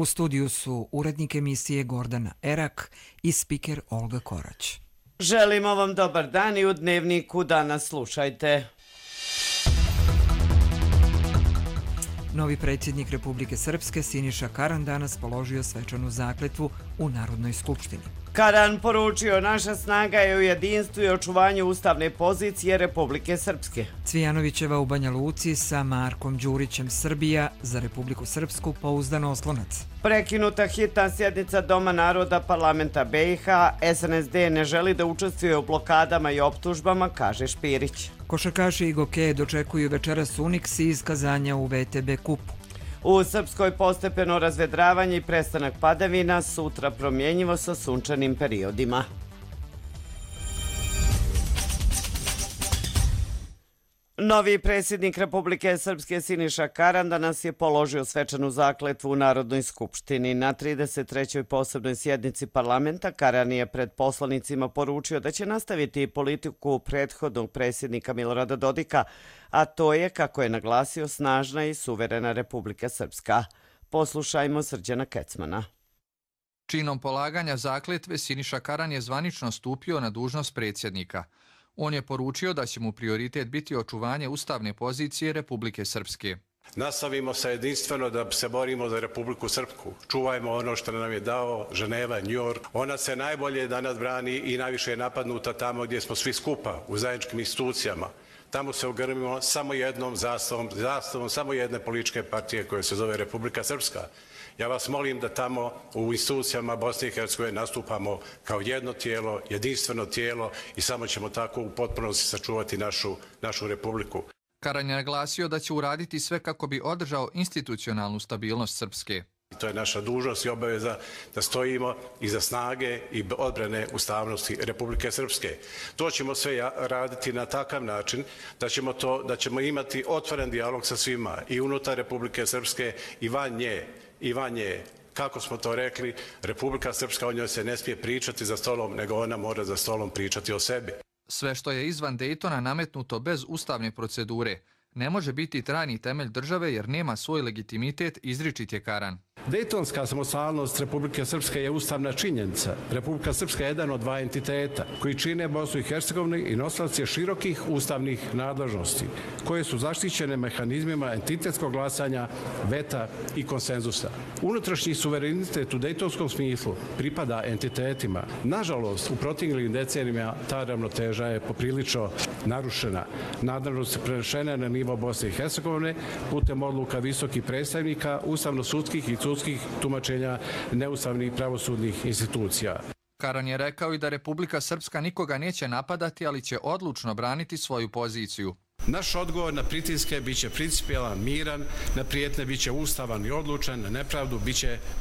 U studiju su urednik emisije Gordana Erak i spiker Olga Korać. Želimo vam dobar dan i u Dnevniku danas slušajte. Novi predsjednik Republike Srpske Siniša Karan danas položio svečanu zakletvu u Narodnoj skupštini. Karan poručio: naša snaga je u jedinstvu i očuvanju ustavne pozicije Republike Srpske. Cvijanovićeva u Banja Luci sa Markom Đurićem Srbija za Republiku Srpsku pouzdan oslonac. Prekinuta hitna sjednica Doma naroda parlamenta BiH, SNSD ne želi da učestvuje u blokadama i optužbama, kaže Špirić. Košarkaši i gokeje dočekuju večeras Unix i iskazanja u VTB kupu. U Srpskoj postepeno razvedravanje i prestanak padavina, sutra promjenjivo sa sunčanim periodima. Novi predsjednik Republike Srpske Siniša Karan danas je položio svečanu zakletvu u Narodnoj skupštini. Na 33. posebnoj sjednici parlamenta Karan je pred poslanicima poručio da će nastaviti politiku prethodnog predsjednika Milorada Dodika, a to je, kako je naglasio, snažna i suverena Republika Srpska. Poslušajmo Srđana Kecmana. Činom polaganja zakletve Siniša Karan je zvanično stupio na dužnost predsjednika. On je poručio da će mu prioritet biti očuvanje ustavne pozicije Republike Srpske. Nastavimo se jedinstveno da se borimo za Republiku Srpsku. Čuvajmo ono što nam je dao Ženeva, New York. Ona se najbolje danas brani i najviše je napadnuta tamo gdje smo svi skupa, u zajedničkim institucijama. Tamo se ogrmimo samo jednom zastavom samo jedne političke partije koja se zove Republika Srpska. Ja vas molim da tamo u institucijama Bosne i Hercegovine nastupamo kao jedno tijelo, jedinstveno tijelo i samo ćemo tako u potpunosti sačuvati našu republiku. Karan je naglasio da će uraditi sve kako bi održao institucionalnu stabilnost Srpske. To je naša dužnost i obaveza da stojimo iza snage i odbrane ustavnosti Republike Srpske. To ćemo sve raditi na takav način da ćemo imati otvoren dijalog sa svima i unutar Republike Srpske i van nje. Kako smo to rekli, Republika Srpska, o njoj se ne smije pričati za stolom, nego ona mora za stolom pričati o sebi. Sve što je izvan Dejtona nametnuto bez ustavne procedure ne može biti trajni temelj države jer nema svoj legitimitet, izričit je Karan. Dejtonska samostalnost Republike Srpske je ustavna činjenica. Republika Srpska je jedan od dva entiteta koji čine Bosnu i Hercegovinu i nosilac je širokih ustavnih nadležnosti koje su zaštićene mehanizmima entitetskog glasanja, veta i konsenzusa. Unutrašnji suverenitet u dejtonskom smislu pripada entitetima. Nažalost, u proteklim decenijama ta ravnoteža je poprilično narušena. Nadležnosti prenešene na nivo Bosne i Hercegovine putem odluka visokih predstavnika, ustavno-sudskih i sudskih tumačenja neustavnih pravosudnih institucija. Karan je rekao i da Republika Srpska nikoga neće napadati, ali će odlučno braniti svoju poziciju. Naš odgovor na pritiske biće principijelan, miran, na prijetnje biće ustavan i odlučan, na nepravdu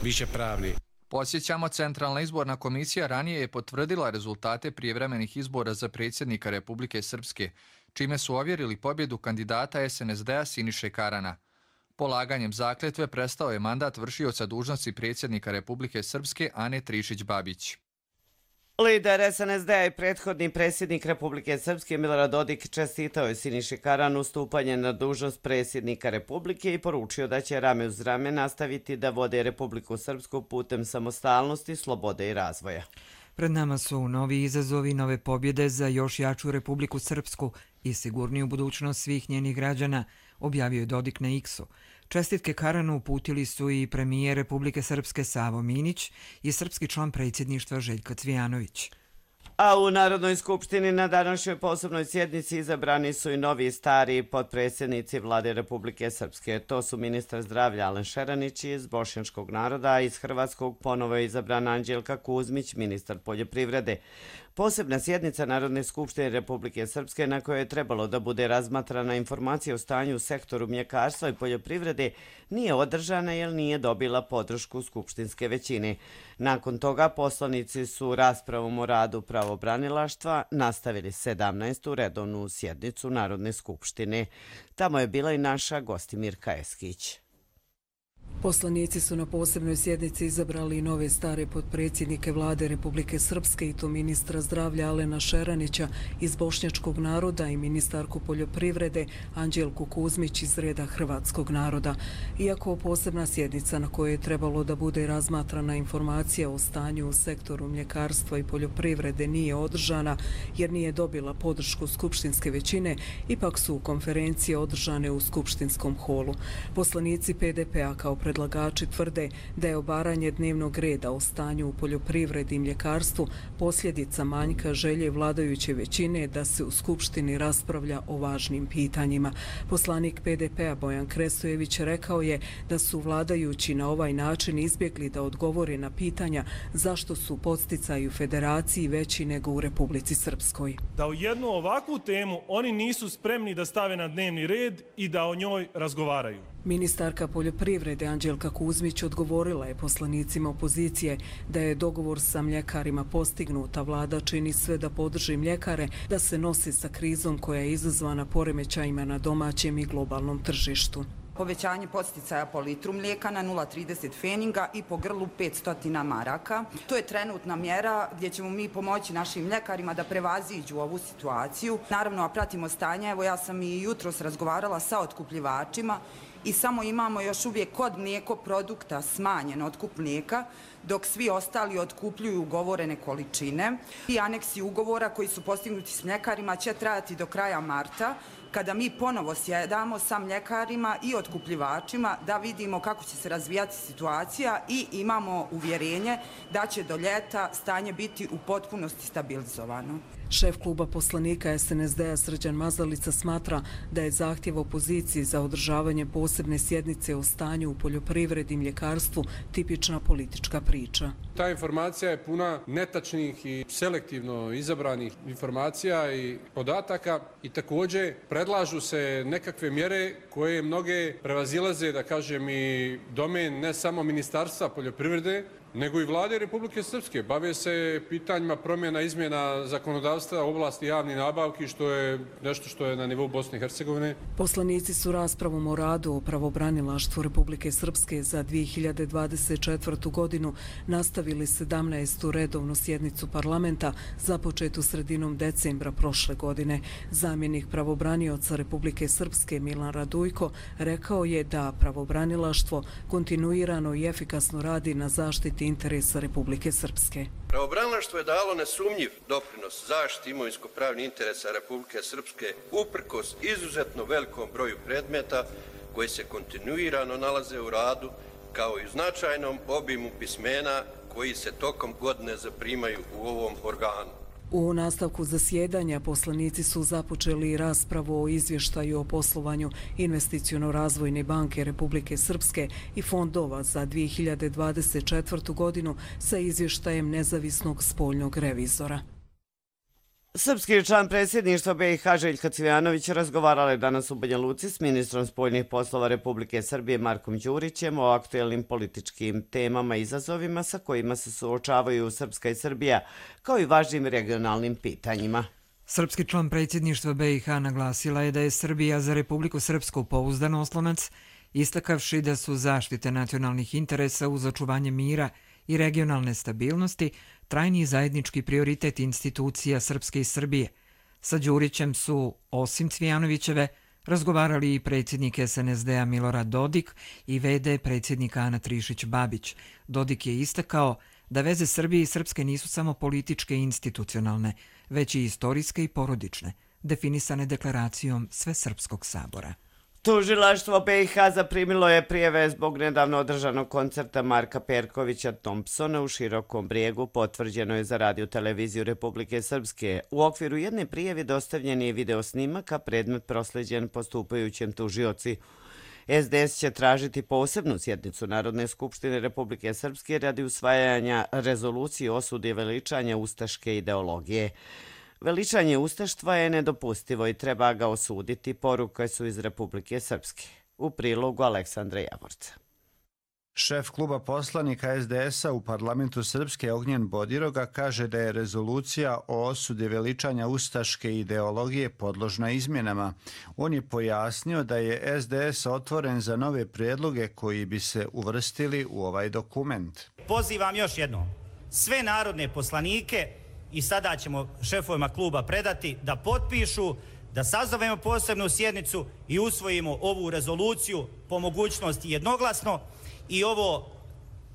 biće pravni. Podsjećamo, Centralna izborna komisija ranije je potvrdila rezultate prijevremenih izbora za predsjednika Republike Srpske, čime su ovjerili pobjedu kandidata SNSD-a Siniše Karana. Polaganjem zakletve prestao je mandat vršioca dužnosti predsjednika Republike Srpske Ane Trišić-Babić. Lider SNSD-a i prethodni predsjednik Republike Srpske Milorad Dodik čestitao je Siniši Karanu stupanje na dužnost predsjednika Republike i poručio da će rame uz rame nastaviti da vode Republiku Srpsku putem samostalnosti, slobode i razvoja. Pred nama su novi izazovi, nove pobjede za još jaču Republiku Srpsku i sigurniju budućnost svih njenih građana, objavio je Dodik na X-u. Čestitke Karanu uputili su i premijer Republike Srpske Savo Minić i srpski član predsjedništva Željko Cvijanović. A u Narodnoj skupštini na današnjoj posebnoj sjednici izabrani su i novi i stari potpredsjednici Vlade Republike Srpske. To su ministar zdravlja Alen Šeranić iz bošnjačkog naroda, a iz hrvatskog ponovo je izabrana Anđelka Kuzmić, ministar poljoprivrede. Posebna sjednica Narodne skupštine Republike Srpske na kojoj je trebalo da bude razmatrana informacija o stanju u sektoru mljekarstva i poljoprivrede nije održana jer nije dobila podršku skupštinske većine. Nakon toga poslanici su raspravom o radu pravobranilaštva nastavili 17. redovnu sjednicu Narodne skupštine. Tamo je bila i naša Gostimirka Eskić. Poslanici su na posebnoj sjednici izabrali nove stare potpredsjednike vlade Republike Srpske i to ministra zdravlja Alena Šeranića iz bošnjačkog naroda i ministarku poljoprivrede Anđelku Kuzmić iz reda hrvatskog naroda. Iako posebna sjednica na kojoj je trebalo da bude razmatrana informacija o stanju u sektoru mljekarstva i poljoprivrede nije održana jer nije dobila podršku skupštinske većine, ipak su konferencije održane u skupštinskom holu. Poslanici PDP-a kao predlagači tvrde da je obaranje dnevnog reda o stanju u poljoprivredi i mljekarstvu posljedica manjka želje vladajuće većine da se u Skupštini raspravlja o važnim pitanjima. Poslanik PDP-a Bojan Kresojević rekao je da su vladajući na ovaj način izbjegli da odgovore na pitanja zašto su podsticaji u federaciji veći nego u Republici Srpskoj. Da u jednu ovakvu temu oni nisu spremni da stave na dnevni red i da o njoj razgovaraju. Ministarka poljoprivrede Anđelka Kuzmić odgovorila je poslanicima opozicije da je dogovor sa mljekarima postignut, a vlada čini sve da podrži mljekare da se nosi sa krizom koja je izazvana poremećajima na domaćem i globalnom tržištu. Povećanje podsticaja po litru mlijeka na 0,30 feninga i po grlu 500 maraka. To je trenutna mjera gdje ćemo mi pomoći našim mljekarima da prevaziđu ovu situaciju. Naravno, a pratimo stanje. Evo, ja sam i jutros razgovarala sa otkupljivačima i samo imamo još uvijek kod mlijeko produkta smanjen otkup mlijeka, dok svi ostali otkupljuju ugovorene količine. I aneksi ugovora koji su postignuti s mljekarima će trajati do kraja marta, kada mi ponovo sjedamo sa mljekarima i otkupljivačima da vidimo kako će se razvijati situacija i imamo uvjerenje da će do ljeta stanje biti u potpunosti stabilizovano. Šef kluba poslanika SNSD-a Srđan Mazalica smatra da je zahtjev opoziciji za održavanje posebne sjednice o stanju u poljoprivredi i mljekarstvu tipična politička priča. Ta informacija je puna netačnih i selektivno izabranih informacija i podataka i također predlažu se nekakve mjere koje mnoge prevazilaze, da kažem, i domen ne samo Ministarstva poljoprivrede, nego i vlade Republike Srpske. Bave se pitanjima promjena izmjena zakonodavstva u oblasti javnih nabavki, što je nešto što je na nivou Bosne i Hercegovine. Poslanici su raspravom o radu o pravobranilaštvu Republike Srpske za 2024. godinu nastavili 17. redovnu sjednicu parlamenta započetu sredinom decembra prošle godine. Zamjenik pravobranioca Republike Srpske Milan Radujko rekao je da pravobranilaštvo kontinuirano i efikasno radi na zaštiti interesa Republike Srpske. Pravobranilaštvo je dalo nesumnjiv doprinos zaštiti imovinsko-pravnih interesa Republike Srpske uprkos izuzetno velikom broju predmeta koji se kontinuirano nalaze u radu, kao i u značajnom obimu pismena koji se tokom godine zaprimaju u ovom organu. U nastavku zasjedanja poslanici su započeli raspravu o izvještaju o poslovanju Investiciono-razvojne banke Republike Srpske i fondova za 2024. godinu sa izvještajem nezavisnog spoljnog revizora. Srpski član predsjedništva BiH Željka Cvijanović razgovarala je danas u Banja Luci s ministrom spoljnih poslova Republike Srbije Markom Đurićem o aktuelnim političkim temama i izazovima sa kojima se suočavaju Srpska i Srbija, kao i važnim regionalnim pitanjima. Srpski član predsjedništva BiH naglasila je da je Srbija za Republiku Srpsku pouzdan oslonac, istakavši da su zaštite nacionalnih interesa uz očuvanje mira i regionalne stabilnosti trajni zajednički prioritet institucija Srpske i Srbije. Sa Đurićem su, osim Cvijanovićeve, razgovarali i predsjednik SNSD-a Milorad Dodik i v.d. predsjednika Ana Trišić-Babić. Dodik je istakao da veze Srbije i Srpske nisu samo političke i institucionalne, već i istorijske i porodične, definisane deklaracijom Svesrpskog sabora. Tužilaštvo BiH zaprimilo je prijave zbog nedavno održanog koncerta Marka Perkovića Thompsona u Širokom Brijegu, potvrđeno je za Radio televiziju Republike Srpske. U okviru jedne prijave dostavljen je video snimak, a predmet prosleđen postupajućem tužioci. SDS će tražiti posebnu sjednicu Narodne skupštine Republike Srpske radi usvajanja rezolucije o osudi veličanja ustaške ideologije. Veličanje ustaštva je nedopustivo i treba ga osuditi, poruke su iz Republike Srpske. U prilogu Aleksandra Javorca. Šef kluba poslanika SDS-a u parlamentu Srpske Ognjen Bodiroga kaže da je rezolucija o osudi veličanja ustaške ideologije podložna izmjenama. On je pojasnio da je SDS otvoren za nove prijedloge koji bi se uvrstili u ovaj dokument. Pozivam još jednom sve narodne poslanike i sada ćemo šefovima kluba predati da potpišu, da sazovemo posebnu sjednicu i usvojimo ovu rezoluciju po mogućnosti jednoglasno. I ovo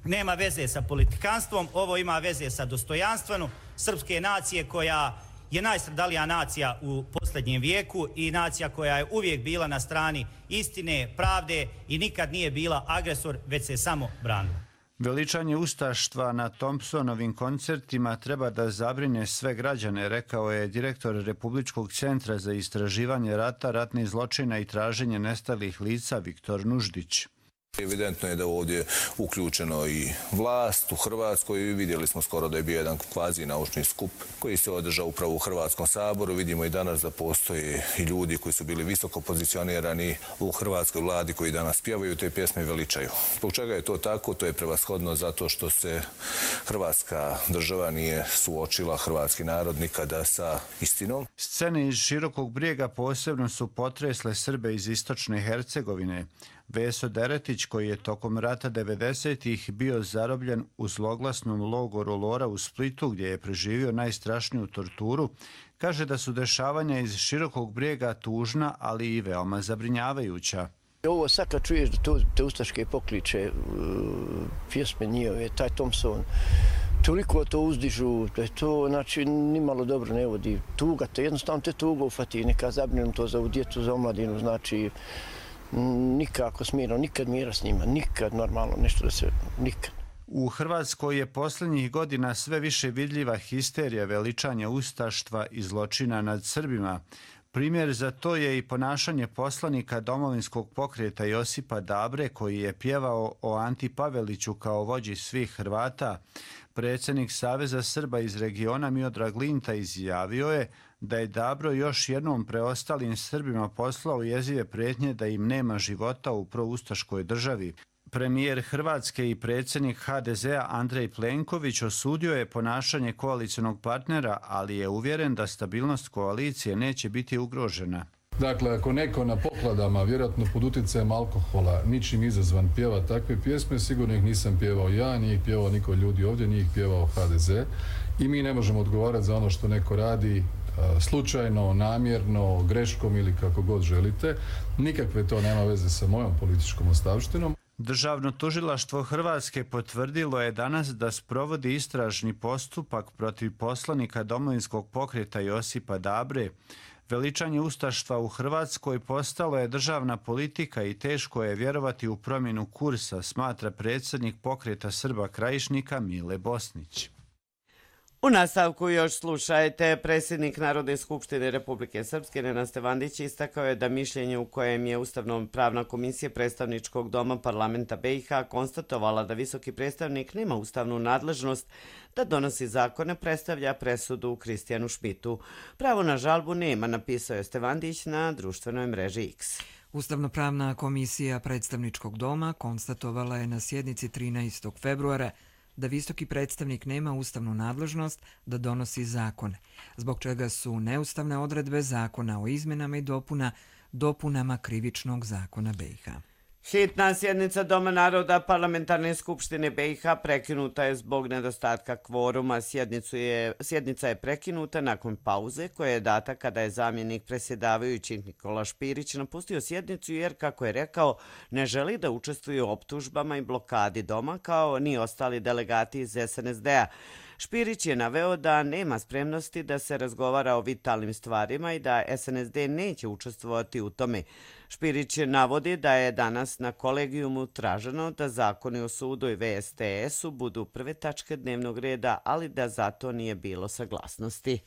nema veze sa politikanstvom, ovo ima veze sa dostojanstvom srpske nacije koja je najstradalija nacija u posljednjem vijeku i nacija koja je uvijek bila na strani istine, pravde i nikad nije bila agresor, već se samo branila. Veličanje ustaštva na Thompsonovim koncertima treba da zabrine sve građane, rekao je direktor Republičkog centra za istraživanje rata, ratnih zločina i traženje nestalih lica Viktor Nuždić. Evidentno je da ovdje uključeno i vlast u Hrvatskoj. Vidjeli smo skoro da je bio jedan kvazi naučni skup koji se održao upravo u Hrvatskom saboru. Vidimo i danas da postoje i ljudi koji su bili visoko pozicionirani u hrvatskoj vladi koji danas pjevaju te pjesme i veličaju. Zbog čega je to tako? To je prevashodno zato što se Hrvatska država nije suočila, hrvatski narod nikada sa istinom. Scene iz Širokog Brijega posebno su potresle Srbe iz istočne Hercegovine. Veso Deretić, koji je tokom rata 90-ih bio zarobljen u zloglasnom logoru Lora u Splitu, gdje je preživio najstrašniju torturu, kaže da su dešavanja iz Širokog Brijega tužna, ali i veoma zabrinjavajuća. Ovo sad kad čuješ da te ustaške pokliče, pjesme njihove, taj Thompson, toliko to uzdižu, da je to, znači, nimalo dobro ne vodi. Tuga te, jednostavno te tuga ufati, neka zabrinem to za ovu djecu, za omladinu, znači, nikako smirno, nikad mira s njima, nikad normalno nešto da se, nikad. U Hrvatskoj je posljednjih godina sve više vidljiva histerija veličanja ustaštva i zločina nad Srbima. Primjer za to je i ponašanje poslanika Domovinskog pokreta Josipa Dabre, koji je pjevao o Anti Paveliću kao vođi svih Hrvata. Predsjednik Saveza Srba iz regiona Miodrag Linta izjavio je da je Dabro još jednom preostalim Srbima poslao jezive prijetnje da im nema života u proustaškoj državi. Premijer Hrvatske i predsjednik HDZ-a Andrej Plenković osudio je ponašanje koalicionog partnera, ali je uvjeren da stabilnost koalicije neće biti ugrožena. Dakle, ako neko na pokladama, vjerojatno pod utjecajem alkohola, ničim izazvan pjeva takve pjesme, sigurno ih nisam pjevao ja, nije ih pjevao niko ljudi ovdje, nije ih pjevao HDZ. I mi ne možemo odgovarati za ono što neko radi slučajno, namjerno, greškom ili kako god želite. Nikakve to nema veze sa mojom političkom ostavštinom. Državno tužilaštvo Hrvatske potvrdilo je danas da sprovodi istražni postupak protiv poslanika Domovinskog pokreta Josipa Dabre. Veličanje ustaštva u Hrvatskoj postalo je državna politika i teško je vjerovati u promjenu kursa, smatra predsjednik pokreta Srba Krajišnika Mile Bosnić. U nastavku još slušajte, predsjednik Narodne skupštine Republike Srpske Nenad Stevandić istakao je da mišljenje u kojem je Ustavno-pravna komisija predstavničkog doma parlamenta BiH konstatovala da visoki predstavnik nema ustavnu nadležnost da donosi zakone, predstavlja presudu Kristijanu Šmitu. Pravo na žalbu nema, napisao je Stevandić na društvenoj mreži X. Ustavno-pravna komisija predstavničkog doma konstatovala je na sjednici 13. februara da visoki predstavnik nema ustavnu nadležnost da donosi zakone, zbog čega su neustavne odredbe zakona o izmenama i dopunama krivičnog zakona BiH. Hitna sjednica Doma naroda Parlamentarne skupštine BiH prekinuta je zbog nedostatka kvoruma. Sjednica je prekinuta nakon pauze koja je data kada je zamjenik predsjedavajućih Nikola Špirić napustio sjednicu jer, kako je rekao, ne želi da učestvuje u optužbama i blokadi doma kao ni ostali delegati iz SNSD-a. Špirić je naveo da nema spremnosti da se razgovara o vitalnim stvarima i da SNSD neće učestvovati u tome. Špirić navodi da je danas na kolegijumu traženo da zakoni o sudu i VSTS-u budu prve tačke dnevnog reda, ali da zato nije bilo saglasnosti.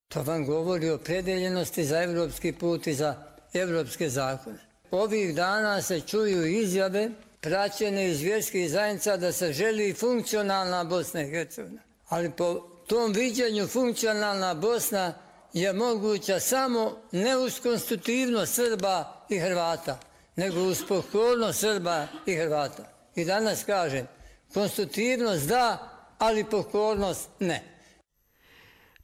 To vam govori o predeljenosti za evropski put i za evropske zakone. Ovih dana se čuju izjave praćene iz vjerskih zajednica da se želi funkcionalna Bosna i Hercegovina. Ali po tom viđenju funkcionalna Bosna je moguća samo ne uz konstitutivnost Srba i Hrvata, nego uz pokornost Srba i Hrvata. I danas kažem, konstitutivnost da, ali pokornost ne.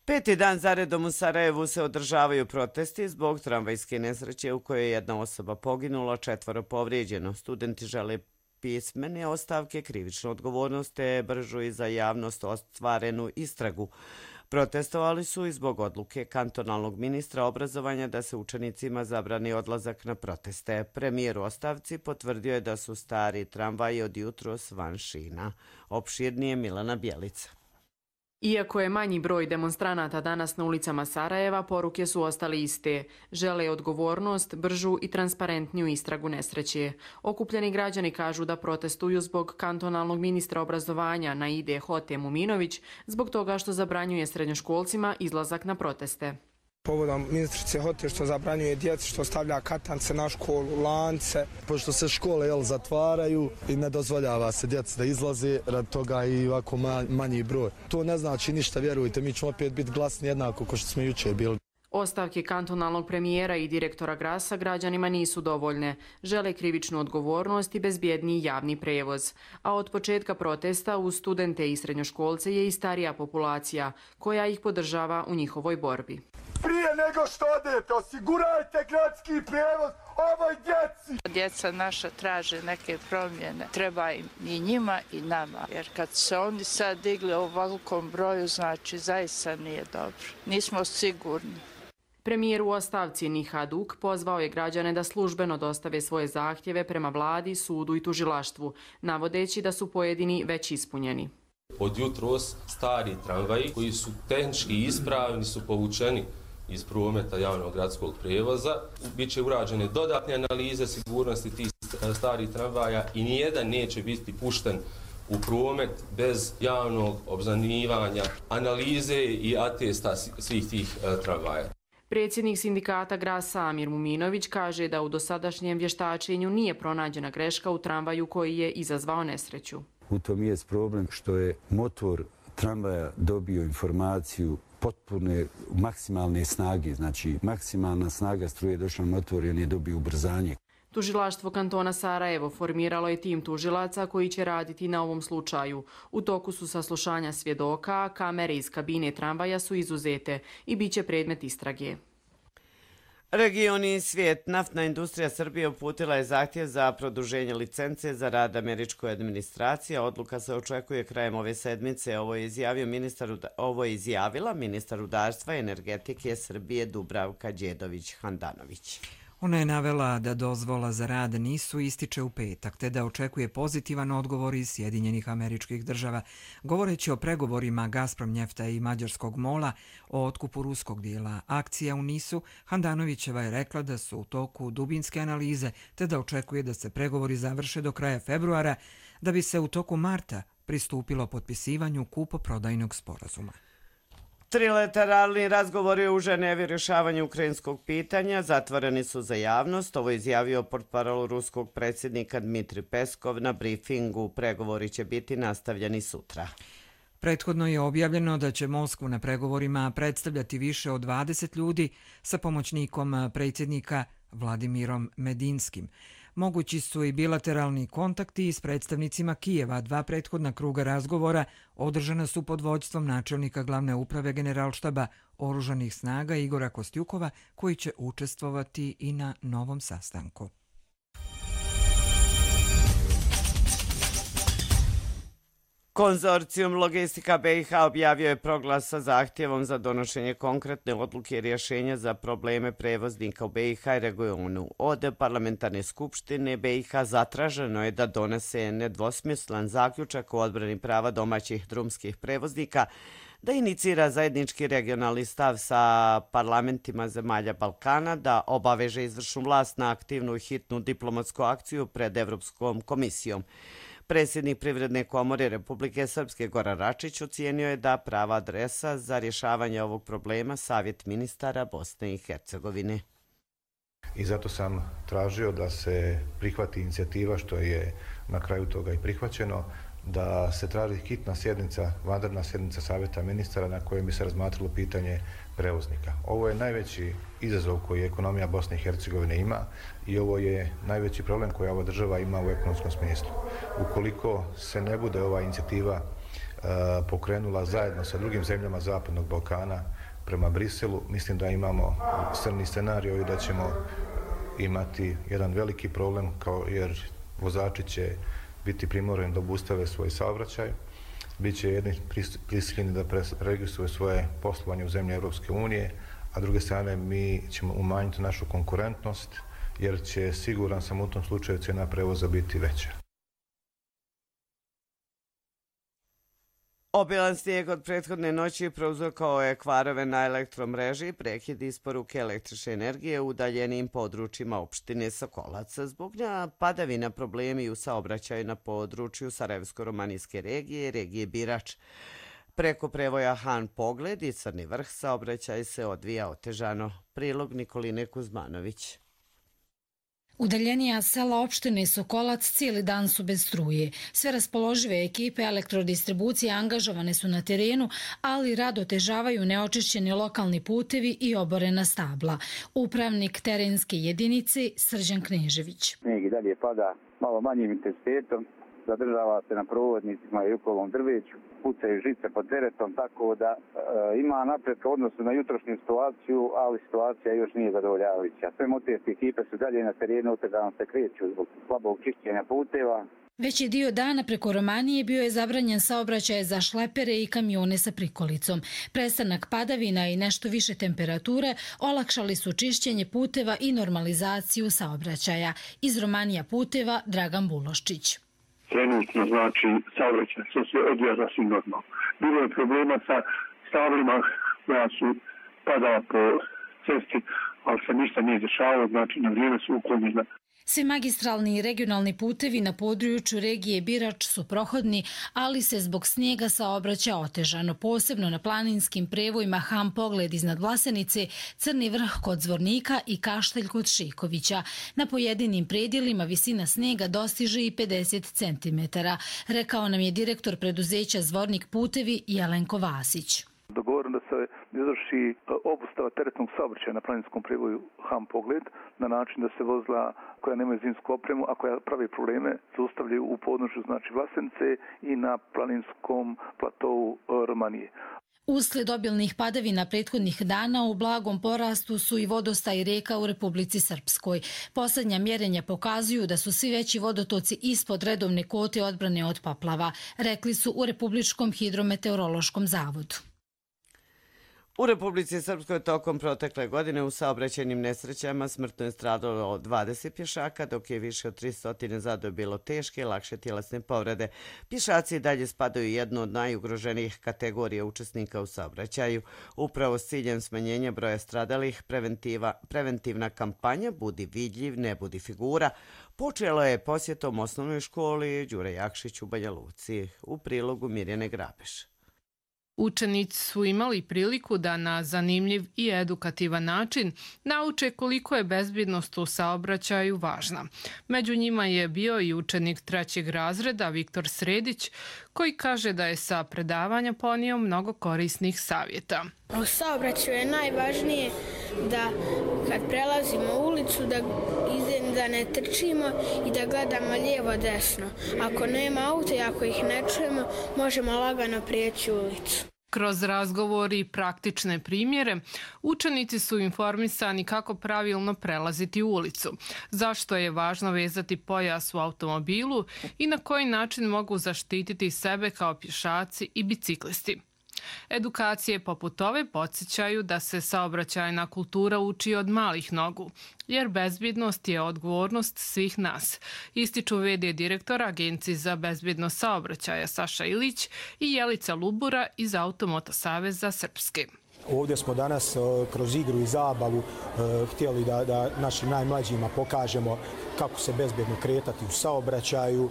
5. dan zaredom u Sarajevu se održavaju protesti zbog tramvajske nesreće u kojoj je jedna osoba poginula, 4 povrijeđeno. Studenti žele pismene ostavke, krivičnu odgovornost te bržu i za javnost ostvarenu istragu. Protestovali su i zbog odluke kantonalnog ministra obrazovanja da se učenicima zabrani odlazak na proteste. Premijer u ostavci potvrdio je da su stari tramvaji od jutros van šina. Opširnije Milana Bjelica. Iako je manji broj demonstranata danas na ulicama Sarajeva, poruke su ostale iste. Žele odgovornost, bržu i transparentniju istragu nesreće. Okupljeni građani kažu da protestuju zbog kantonalnog ministra obrazovanja Naide Hote Muminović, zbog toga što zabranjuje srednjoškolcima izlazak na proteste. Povodom ministrice Hote što zabranjuje djeci, što stavlja katance na školu, lance. Pošto se škole zatvaraju i ne dozvoljava se djeci da izlaze, rad toga i ovako manji broj. To ne znači ništa, vjerujte, mi ćemo opet biti glasni jednako kao što smo jučer bili. Ostavke kantonalnog premijera i direktora Grasa građanima nisu dovoljne. Žele krivičnu odgovornost i bezbjedniji javni prevoz. A od početka protesta uz studente i srednjoškolce je i starija populacija, koja ih podržava u njihovoj borbi. Prije nego što odete, osigurajte gradski prevoz ovoj djeci. Djeca naša traže neke promjene. Treba im i njima i nama. Jer kad se oni sad digli u ovakvom broju, znači zaista nije dobro. Nismo sigurni. Premijer u ostavci Nihaduk pozvao je građane da službeno dostave svoje zahtjeve prema vladi, sudu i tužilaštvu, navodeći da su pojedini već ispunjeni. Od jutros stari tramvaji koji su tehnički ispravni su povučeni iz prometa javnog gradskog prijevoza. Biće urađene dodatne analize sigurnosti tih starih tramvaja i nijedan neće biti pušten u promet bez javnog obznanjivanja, analize i atesta svih tih tramvaja. Predsjednik sindikata Grasa Amir Muminović kaže da u dosadašnjem vještačenju nije pronađena greška u tramvaju koji je izazvao nesreću. U tom je problem što je motor tramvaja dobio informaciju potpune maksimalne snage, znači maksimalna snaga struje došla na motor i on je dobio ubrzanje. Tužilaštvo kantona Sarajevo formiralo je tim tužilaca koji će raditi na ovom slučaju. U toku su saslušanja svjedoka, a kamere iz kabine tramvaja su izuzete i bit će predmet istrage. Region i svijet. Naftna industrija Srbije uputila je zahtjev za produženje licence za rad američkoj administraciji. Odluka se očekuje krajem ove sedmice. Ovo je izjavila ministar rudarstva i energetike Srbije Dubravka Đedović-Handanović. Ona je navela da dozvola za rad nisu ističe u petak, te da očekuje pozitivan odgovor iz Sjedinjenih Američkih Država. Govoreći o pregovorima Gazprom Njefta i Mađarskog MOL-a o otkupu ruskog dijela akcija u NIS-u, Handanovićeva je rekla da su u toku dubinske analize, te da očekuje da se pregovori završe do kraja februara, da bi se u toku marta pristupilo potpisivanju kupoprodajnog sporazuma. Trilateralni razgovori u Ženevi o rješavanju ukrajinskog pitanja zatvoreni su za javnost. Ovo je izjavio portparol ruskog predsjednika Dmitri Peskov na brifingu. Pregovori će biti nastavljeni sutra. Prethodno je objavljeno da će Moskvu na pregovorima predstavljati više od 20 ljudi sa pomoćnikom predsjednika Vladimirom Medinskim. Mogući su i bilateralni kontakti s predstavnicima Kijeva. 2 prethodna kruga razgovora održana su pod vođstvom načelnika glavne uprave Generalštaba oružanih snaga Igora Kostjukova, koji će učestvovati i na novom sastanku. Konzorcijum Logistika BiH objavio je proglas sa zahtjevom za donošenje konkretne odluke i rješenja za probleme prevoznika u BiH i regionu. Od parlamentarne skupštine BiH zatraženo je da donese nedvosmislen zaključak o odbrani prava domaćih drumskih prevoznika, da inicira zajednički regionalni stav sa parlamentima zemalja Balkana, da obaveže izvršnu vlast na aktivnu i hitnu diplomatsku akciju pred Evropskom komisijom. Predsjednik Privredne komore Republike Srpske Goran Račić ocijenio je da prava adresa za rješavanje ovog problema Savjet ministara Bosne i Hercegovine. I zato sam tražio da se prihvati inicijativa, što je na kraju toga i prihvaćeno, da se traži hitna sjednica, vanredna sjednica Savjeta ministara na kojem bi se razmatralo pitanje prevoznika. Ovo je najveći izazov koji ekonomija Bosne i Hercegovine ima i ovo je najveći problem koji ova država ima u ekonomskom smislu. Ukoliko se ne bude ova inicijativa pokrenula zajedno sa drugim zemljama Zapadnog Balkana prema Briselu, mislim da imamo crni scenarij i da ćemo imati jedan veliki problem, jer vozači će biti primorani da obustave svoj saobraćaj, bit će jedni prisiljeni da registruju svoje poslovanje u zemlji Europske unije, a s druge strane mi ćemo umanjiti našu konkurentnost, jer će, siguran sam, u tom slučaju cijena prevoza biti veća. Obilan snijeg od prethodne noći prouzrokovao je kvarove na elektromreži, prekid isporuke električne energije u udaljenim područjima opštine Sokolac. Zbog padavina problemi u saobraćaju na području Sarajevsko-romanijske regije i regije Birač. Preko prevoja Han Pogled i Crni Vrh saobraćaj se odvija otežano. Prilog Nikoline Kuzmanović. Udaljenija sela opštine Sokolac cijeli dan su bez struje. Sve raspoložive ekipe elektrodistribucije angažovane su na terenu, ali rad otežavaju neočišćeni lokalni putevi i oborena stabla. Upravnik terenske jedinice Srđan Knežević. Snijeg i dalje pada malo manjim intenzitetom, zadržava se na provodnicima i Jukovom drveću, pucaju žice pod teretom, tako da ima napretka u odnosu na jutrošnju situaciju, ali situacija još nije zadovoljavajuća. Sve motorske ekipe su dalje na terenu, otežano se kreću zbog slabog čišćenja puteva. Veći dio dana preko Romanije bio je zabranjen saobraćaj za šlepere i kamione sa prikolicom. Prestanak padavina i nešto više temperature olakšali su čišćenje puteva i normalizaciju saobraćaja. Iz Romanija puteva Dragan Buloščić. Trenutno, znači, saobraćaj se odvija sasvim normalno. Bilo je problema sa stablima koja su padala po cesti, ali se ništa nije dešavalo, znači na vrijeme su uklonjena. Svi magistralni i regionalni putevi na području regije Birač su prohodni, ali se zbog snijega saobraća otežano, posebno na planinskim prevojima Han Pogled iznad Vlasenice, Crni Vrh kod Zvornika i Kaštelj kod Šikovića. Na pojedinim predjelima visina snijega dostiže i 50 cm, rekao nam je direktor preduzeća Zvornik putevi Jelenko Vasić. Dogovoreno da se izvrši obustava teretnog saobraćaja na planinskom prevoju Han Pogled na način da se vozila koja nemaju zimsku opremu, a koja pravi probleme, zaustavljaju u podnožju, znači Vlasenice i na planinskom platovu Romanije. Usled obilnih padavina prethodnih dana u blagom porastu su i vodostaj reka u Republici Srpskoj. Posljednja mjerenja pokazuju da su svi veći vodotoci ispod redovne kvote odbrane od poplava, rekli su u Republičkom hidrometeorološkom zavodu. U Republici Srpskoj tokom protekle godine u saobraćajnim nesrećama smrtno je stradalo 20 pješaka, dok je više od 300 zadobilo teške i lakše tjelesne povrede. Pješaci dalje spadaju jednu od najugroženijih kategorija učesnika u saobraćaju. Upravo s ciljem smanjenja broja stradalih, preventivna kampanja Budi vidljiv, ne budi figura počelo je posjetom osnovnoj školi Đure Jakšić u Banja Luci. U prilogu Mirjane Grabeš. Učenici su imali priliku da na zanimljiv i edukativan način nauče koliko je bezbjednost u saobraćaju važna. Među njima je bio i učenik 3. razreda Viktor Sredić, koji kaže da je sa predavanja ponio mnogo korisnih savjeta. U saobraćaju je najvažnije da kad prelazimo ulicu da ne trčimo i da gledamo lijevo desno. Ako nema auta i ako ih ne čujemo, možemo lagano prijeći ulicu. Kroz razgovor i praktične primjere, učenici su informisani kako pravilno prelaziti ulicu, zašto je važno vezati pojas u automobilu i na koji način mogu zaštititi sebe kao pješaci i biciklisti. Edukacije poput ove podsjećaju da se saobraćajna kultura uči od malih nogu, jer bezbjednost je odgovornost svih nas, ističu v.d. direktora Agencije za bezbjednost saobraćaja Saša Ilić i Jelica Lubura iz Automoto saveza Srpske. Ovdje smo danas kroz igru i zabavu htjeli da našim najmlađima pokažemo kako se bezbjedno kretati u saobraćaju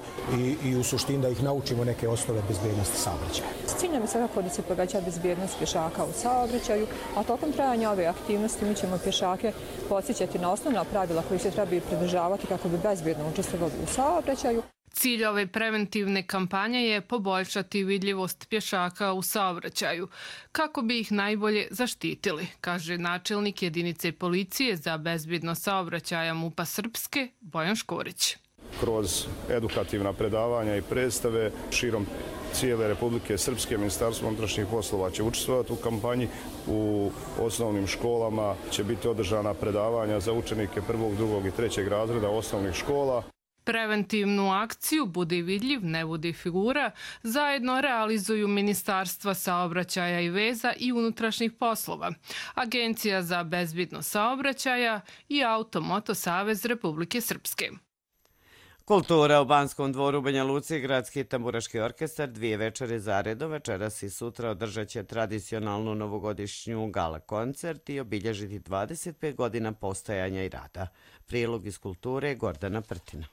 i u suštini da ih naučimo neke osnove bezbjednosti saobraćaja. S ciljem je svakako da se poveća bezbjednost pješaka u saobraćaju, a tokom trajanja ove aktivnosti mi ćemo pješake podsjećati na osnovna pravila koji se trebaju pridržavati kako bi bezbjedno učestvovali u saobraćaju. Cilj ove preventivne kampanje je poboljšati vidljivost pješaka u saobraćaju, kako bi ih najbolje zaštitili, kaže načelnik jedinice policije za bezbednost saobraćaja MUP-a Srpske, Bojan Škorić. Kroz edukativna predavanja i predstave širom cijele Republike Srpske, Ministarstvo unutrašnjih poslova će učestvovati u kampanji. U osnovnim školama će biti održana predavanja za učenike 1., 2. i 3. razreda osnovnih škola. Preventivnu akciju Budi vidljiv, ne budi figura zajedno realizuju Ministarstva saobraćaja i veza i unutrašnjih poslova, Agencija za bezbednost saobraćaja i Auto-Moto Savez Republike Srpske. Kultura u Banskom dvoru u Banja Luci, Gradski tamburaški orkestar 2 večeri zaredom večeras i sutra održat će tradicionalnu novogodišnju gala koncert i obilježiti 25 godina postojanja i rada. Prilog iz kulture Gordana Prtina.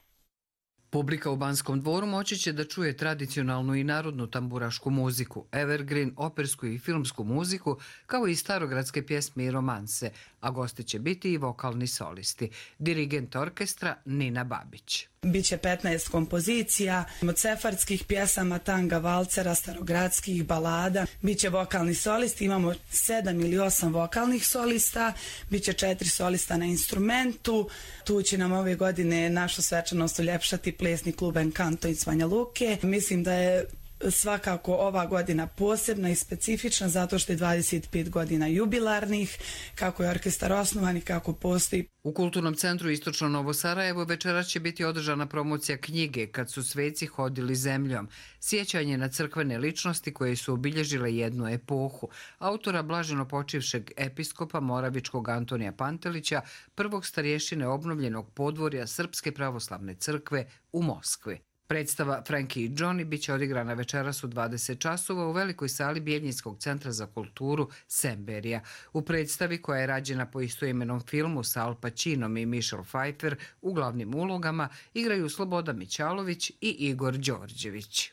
Publika u Banskom dvoru moći će da čuje tradicionalnu i narodnu tamburašku muziku, evergreen, opersku i filmsku muziku, kao i starogradske pjesme i romanse, a gosti će biti i vokalni solisti. Dirigent orkestra Nina Babić. Biće 15 kompozicija, od sefardskih pjesama, tanga, valcera, starogradskih, balada. Biće vokalni solisti, imamo 7 ili 8 vokalnih solista, biće 4 solista na instrumentu. Tu će nam ove godine našu svečanost uljepšati plesni klub Encanto iz Banja Luke. Mislim da je svakako ova godina posebna i specifična zato što je 25 godina jubilarnih, kako je orkestar osnovan i kako postoji. U Kulturnom centru Istočno Novo Sarajevo večeras će biti održana promocija knjige Kad su sveci hodili zemljom, sjećanje na crkvene ličnosti koje su obilježile jednu epohu, autora blaženopočivšeg episkopa Moravičkog Antonija Pantelića, prvog starješine obnovljenog podvorja Srpske pravoslavne crkve u Moskvi. Predstava Frankie i Johnny biće odigrana večeras u 20 časova u velikoj sali Bijeljinskog centra za kulturu Semberija. U predstavi, koja je rađena po istoimenom filmu sa Al Pacinom i Michelle Pfeiffer u glavnim ulogama, igraju Sloboda Mićalović i Igor Đorđević.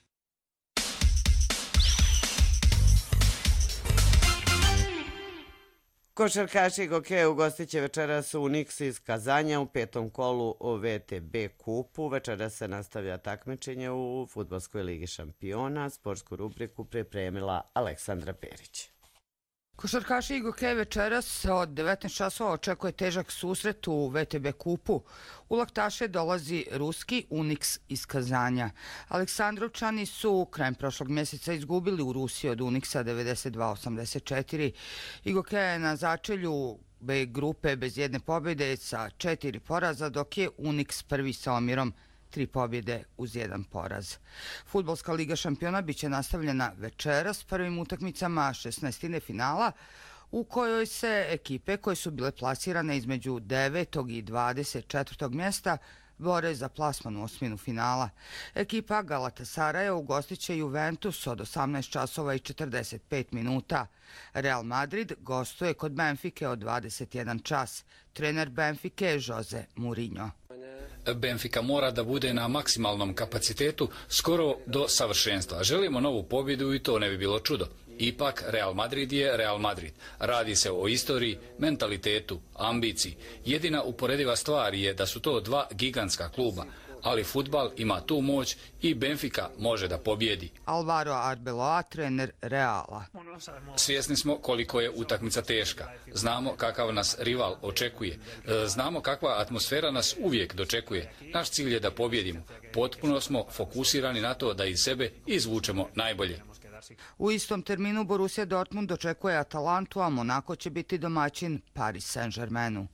Košarkaši Gokeja ugostit će večeras Unix iz Kazanja u 5. kolu o VTB kupu. Večeras se nastavlja takmičenje u Fudbalskoj ligi šampiona. Sportsku rubriku pripremila Aleksandra Perić. Košarkaši i Gokeja večeras od 19 časova očekuje težak susret u VTB kupu. U laktaše dolazi ruski Unix iz Kazanja. Aleksandrovčani su krajem prošlog mjeseca izgubili u Rusiji od Unixa 92-84 i Gokeja je na začelju B grupe bez jedne pobjede sa 4 poraza, dok je Unix prvi sa omjerom 3 pobjede uz 1 poraz. Fudbalska liga šampiona biće nastavljena večeras s prvim utakmicama 16. finala, u kojoj se ekipe koje su bile plasirane između 9. i 24. mjesta bore za plasman u osminu finala. Ekipa Galatasaraja ugostit će Juventus od 18 časova i 45 minuta. Real Madrid gostuje kod Benfike od 21 čas. Trener Benfike je Jose Mourinho. Benfica mora da bude na maksimalnom kapacitetu skoro do savršenstva. Želimo novu pobjedu i to ne bi bilo čudo. Ipak Real Madrid je Real Madrid. Radi se o istoriji, mentalitetu, ambiciji. Jedina uporediva stvar je da su to dva gigantska kluba, ali fudbal ima tu moć i Benfica može da pobjedi. Alvaro Arbeloa, trener Reala. Svjesni smo koliko je utakmica teška. Znamo kakav nas rival očekuje. Znamo kakva atmosfera nas uvijek dočekuje. Naš cilj je da pobjedimo. Potpuno smo fokusirani na to da iz sebe izvučemo najbolje. U istom terminu Borussia Dortmund dočekuje Atalantu, a Monako će biti domaćin Paris Saint-Germainu.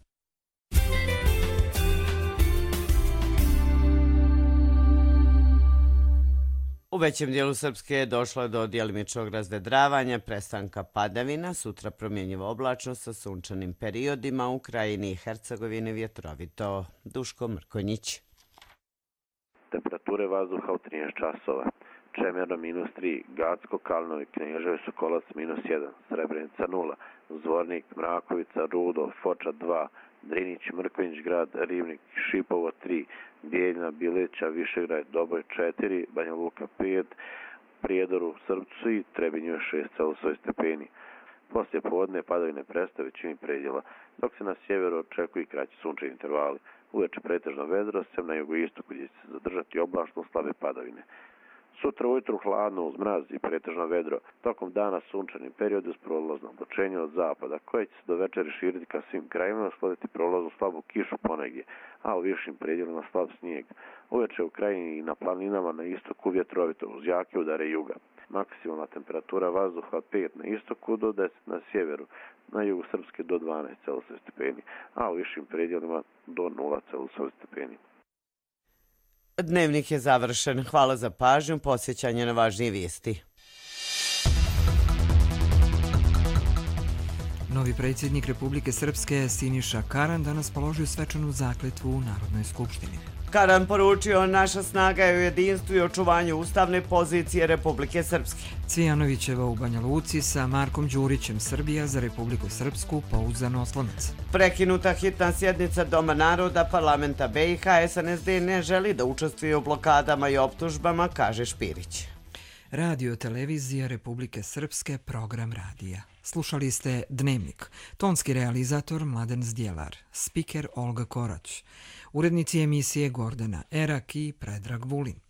U većem dijelu Srpske došlo je do djelimičnog razvedravanja, prestanka padavina, sutra promjenjiva oblačnost sa sunčanim periodima, u krajini i Hercegovini vjetrovito. Duško Mrkonjić. Temperature vazduha u 13 časova. Čemerno -3, Gacko, Kalinovi, Knježevo, Sokolac -1, Srebrenica 0, Zvornik, Mrakovica, Rudo, Foča 2, Drinić, Mrkonjić grad, Rivnik, Šipovo 3, Bijeljna, Bileća, Višegrad, Doboj 4, Banja Luka 5, Prijedor u Srpcu i Trebinju 6,8 stepeni. Poslije podne padavine prestaju većini predjela, dok se na sjeveru očekuju kraći sunčevi intervali. Uveče pretežno vedro, sem na jugoistoku gdje će se zadržati oblačno slabe padavine. Sutra ujutru hladno uz mraz i pretežno vedro, tokom dana sunčani period uz prolazno oblačenje od zapada, koje će se do večeri širiti ka svim krajima, uslediti prolaznu slabu kišu ponegdje, a u višim predjelima slab snijeg. Uveče u krajini i na planinama na istoku vjetrovito uz jake udare juga. Maksimalna temperatura vazduha od 5 na istoku do 10 na sjeveru, na jugu Srpske do 12 Celzijusovih stepeni, a u višim predjelima do 0 Celzijusovih stepeni. Dnevnik je završen. Hvala za pažnju, posjećanje na važnije vijesti. Novi predsjednik Republike Srpske Siniša Karan danas položio svečanu zakletvu u Narodnoj skupštini. Karan poručio: naša snaga je u jedinstvu i očuvanju ustavne pozicije Republike Srpske. Cvijanovićeva u Banja Luci sa Markom Đurićem, Srbija za Republiku Srpsku, pouzdan oslonac. Prekinuta hitna sjednica Doma naroda parlamenta BiH, SNSD ne želi da učestvuje u blokadama i optužbama, kaže Špirić. Radio televizija Republike Srpske, program radija. Slušali ste Dnevnik. Tonski realizator Mladen Zdjelar, spiker Olga Korać, urednici emisije Gordana Erak i Predrag Vulin.